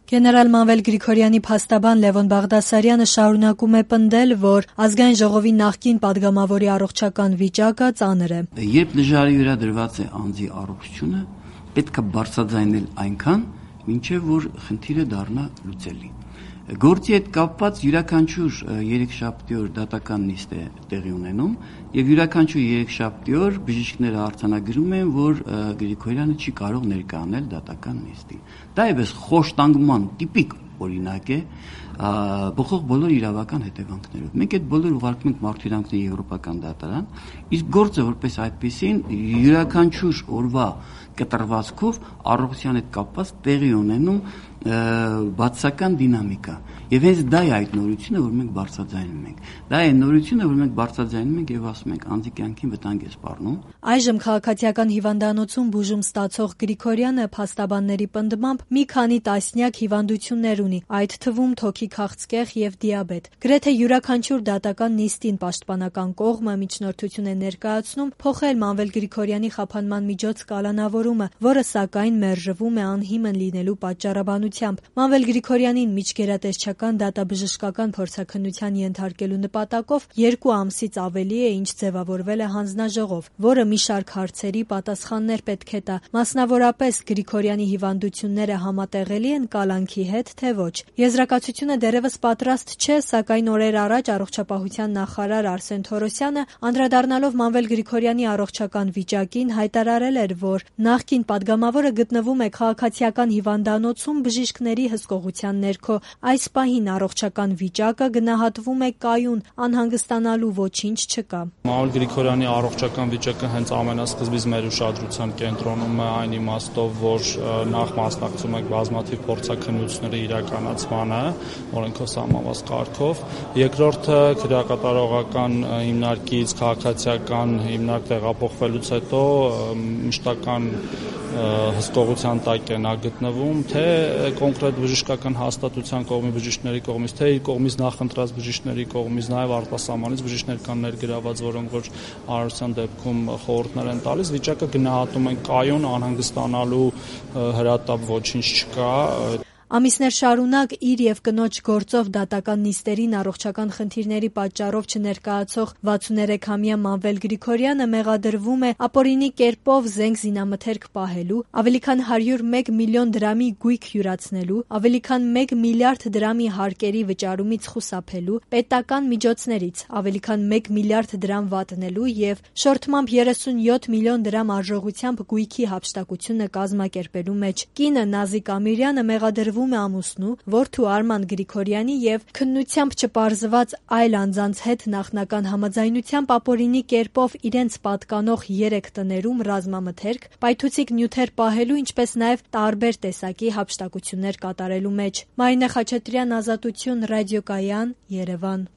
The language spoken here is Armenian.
Գեներալ Մանվել Գրիգորյանի փաստաբան Լևոն Բաղդասարյանը շարունակում է պնդել, որ ազգային ժողովի նախկին падգամավորի առողջական վիճակը ծանր է։ Երբ դժվարի վրա դրված է անձի առողջությունը, պետք է բարձրաձայնել այնքան, մինչև որ խնդիրը դառնա լուծելի։ Գործի հետ կապված յուրաքանչյուր երեքշաբթի օր դատական նիստ է տեղի ունենում եւ յուրաքանչյուր երեքշաբթի օր բժիշկները արձանագրում են, որ Գրիգորյանը չի կարող ներկայանալ դատական նիստին։ Դա է խոշտանգման տիպիկ օրինակ է բխող բոլոր իրավական հետևանքներով։ Մենք այդ բոլոր ուղարկում ենք մարդուրանքների եվրոպական դատարան, իսկ գործը որպես այդպեսին յուրաքանչյուր օրվա կտրվածքով առողջության հետ կապված տեղի ունենում բացական դինամիկա։ Եվ հենց դա է այդ նորությունը, որ մենք բարձրաձայնում ենք։ Դա է նորությունը, որ մենք բարձրաձայնում ենք եւ ասում ենք անձի կյանքին վտանգ է սպառնում։ Այժմ քաղաքացիական հիվանդանոցում բուժում ստացող Գրիգորյանը փաստաբանների պնդմամբ մի քանի տասնյակ հիվանդություններ ունի, այդ թվում թոքի քաղցկեղ եւ դիաբետ։ Գրեթե յուրաքանչյուր դատական նիստին պաշտպանական կողմը միջնորդություն է ներկայացնում փոխել Մանվել Գրիգորյանի խափանման միջոց կալանավորումը, որը սակայն մերժվում է անհիմն լինելու պատճառաբանությամբ։ Մանվել Գրիգորյանին միջգերատեսչական դատաբժշկական փորձաքննության ենթարկելու նպատակով 2 ամսից ավելի է ինչ ձևավորվել է հանձնաժողով, որը մի շարք հարցերի պատասխաններ պետք է տա, մասնավորապես Գրիգորյանի հիվանդությունները համատեղելի են կալանքի հետ, թե ոչ։ Եզրակացությունը դեռևս պատրաստ չէ, սակայն օրեր առաջ առողջապահության նախարար Արսեն Թորոսյանը անդրադառնալով Մանվել Գրիգորյանի առողջական վիճակին հայտարարել էր, որ նախկին падգամավորը գտնվում է քաղաքացիական հիվանդանոցում բժիշկների հսկողության ներքո։ Այս պահին առողջական վիճակը գնահատվում է կայուն, անհանգստանալու ոչինչ չկա։ Մանվել Գրիգորյանի առողջական վիճակը հենց ամենասկզբից մեր ուշադրության կենտրոնում է այն իմաստով, որ նախ մասնակցում ենք բազմաթիվ փորձաքննությունների իրականացմանը, օրենքով սահմանված կարգով։ Երկրորդը քրեակատարողական հիմնարկից քաղաքացիական հիմնարկ տեղափոխվելուց հետո մշտական հսկողության տակ է նա գտնվում, թե կոնկրետ բժշկական հաստատության կողմի բժիշկների կողմից, թե իր կողմից նախընտրած բժիշկների կողմից, նաև արտասահմանից բժիշկներ կան ներգրաված, որոնք որ արարության դեպքում խորհուրդներ են տալիս, վիճակը գնահատում են կայուն, անհանգստանալու հրատապ ոչինչ չկա։ Ամիսներ շարունակ իր եւ կնոջ գործով դատական նիստերին առողջական խնդիրների պատճառով չներկայացող 63-ամյա Մանվել Գրիգորյանը մեղադրվում է ապօրինի կերպով զենք զինամթերք պահելու, ավելի քան 101 միլիոն դրամի գույք յուրացնելու, ավելի քան 1 միլիարդ դրամի հարկերի վճարումից խուսափելու, պետական միջոցներից ավելի քան 1 միլիարդ դրամ վատնելու եւ շորթմամբ 37 միլիոն դրամ արժողությամբ գույքի հափշտակությունը կազմակերպելու մեջ։ Կինը Նազիկ Ամիրյանը մեղադրվում է ամուսնու, որդու Արման Գրիգորյանի եւ քննությամբ չպարզված այլ անձանց հետ նախնական համաձայնությամբ ապօրինի կերպով իրենց պատկանող 3 տներում ռազմամթերք, պայթուցիկ նյութեր պահելու, ինչպես նաեւ տարբեր տեսակի հափշտակություններ կատարելու մեջ։ Մարինե Խաչատրյան, Ազատություն, Ռադիոկայան, Երևան։